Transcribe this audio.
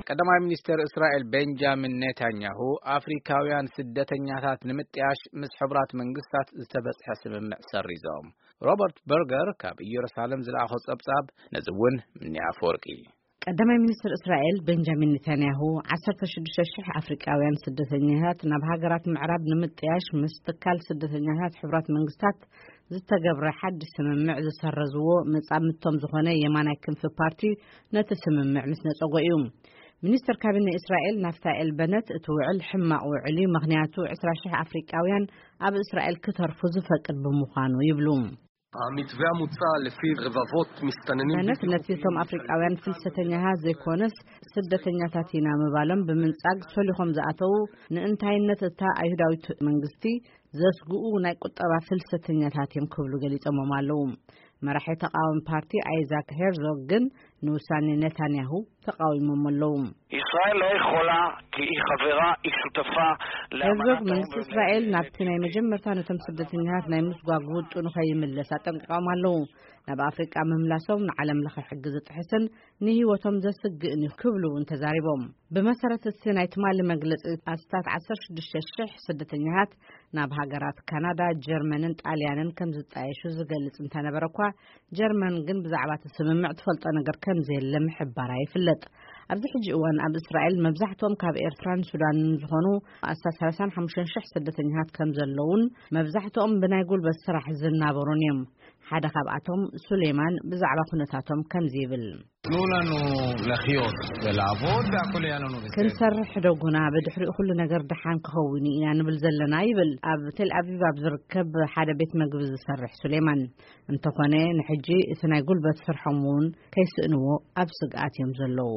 ቀዳማይ ሚኒስተር እስራኤል ቤንጃሚን ኔታንያሁ ኣፍሪካውያን ስደተኛታት ንምጥያሽ ምስ ሕቡራት መንግስታት ዝተበጽሐ ስምምዕ ሰሪዞም። ሮበርት በርገር ካብ ኢየሩሳሌም ዝለኣኾ ጸብጻብ ነዚ እውን ምኒ ኣፈወርቂ። ቀዳማይ ሚኒስትር እስራኤል ቤንጃሚን ኔታንያሁ ዓሰርተ ሽዱሽተ ሽሕ ኣፍሪቃውያን ስደተኛታት ናብ ሃገራት ምዕራብ ንምጥያሽ ምስ ትካል ስደተኛታት ሕቡራት መንግስታት ዝተገብረ ሓድሽ ስምምዕ ዝሰረዝዎ መጻምድቶም ዝኾነ የማናይ ክንፊ ፓርቲ ነቲ ስምምዕ ምስ ነጸጎ እዩ። ሚኒስትር ካቢነ እስራኤል ናፍታኤል በነት እቲ ውዕል ሕማቕ ውዕል እዩ፣ ምኽንያቱ ዕስራ ሽሕ ኣፍሪቃውያን ኣብ እስራኤል ክተርፉ ዝፈቅድ ብምዃኑ ይብሉ። המתווה המוצע, לפי רבבות מסתננים בלתי חוקיים, ነቲ ነቶም ኣፍሪቃውያን ፍልሰተኛታት ዘይኮነስ ስደተኛታት ኢና ምባሎም ብምንጻግ ሶሊኾም ዝኣተዉ ንእንታይነት እታ ኣይሁዳዊት መንግስቲ ዘስግኡ ናይ ቁጠባ ፍልሰተኛታት እዮም ክብሉ ገሊጾሞም ኣለዉ። መራሒ ተቃዋሚ ፓርቲ ኣይዛክ ሄርዞግ ግን ንውሳኔ ኔታንያሁ ተቃዊሞም ኣለዉ። ישראל לא יכולה, כי היא חברה, היא שותפה. ሄርዞግ መንግስቲ እስራኤል ናብቲ ናይ መጀመርታ ነቶም ስደተኛታት ናይ ምስጓግ ውጥኑ ከይምለስ ኣጠንቂቆም ኣለዉ። ናብ ኣፍሪቃ ምምላሶም ንዓለም ለኸ ሕጊ ዝጥሕስን ንህይወቶም ዘስግእን እዩ ክብሉ እውን ተዛሪቦም። ብመሰረት እቲ ናይ ትማሊ መግለፂ ኣስታት ዓሰርተ ሽዱሽተ ሽሕ ስደተኛታት ናብ ሃገራት ካናዳ፣ ጀርመንን ጣልያንን ከም ዝጣየሹ ዝገልጽ እንተነበረ እኳ ጀርመን ግን ብዛዕባ እቲ ስምምዕ ትፈልጦ ነገር ከም ዘየለ ምሕባራ ይፍለጥ። ኣብዚ ሕጂ እዋን ኣብ እስራኤል መብዛሕትኦም ካብ ኤርትራን ሱዳንን ዝኾኑ ኣስታት ሰላሳን ሓሙሽተን ሽሕ ስደተኛታት ከም ዘለውን መብዛሕትኦም ብናይ ጉልበት ስራሕ ዝናበሩን እዮም። ሓደ ካብኣቶም ሱሌማን ብዛዕባ ኩነታቶም ከምዚ ይብል። תנו לנו לחיות ולעבוד והכל יהיה לנו בסדר. ክንሰርሕ ሕደጉና፣ ብድሕሪኡ ኩሉ ነገር ደሓን ክኸውን ኢና ንብል ዘለና ይብል ኣብ ቴል ኣቪቭ ኣብ ዝርከብ ሓደ ቤት መግቢ ዝሰርሕ ሱሌማን። እንተኾነ ንሕጂ እቲ ናይ ጉልበት ስርሖም እውን ከይስእንዎ ኣብ ስግኣት እዮም ዘለዉ።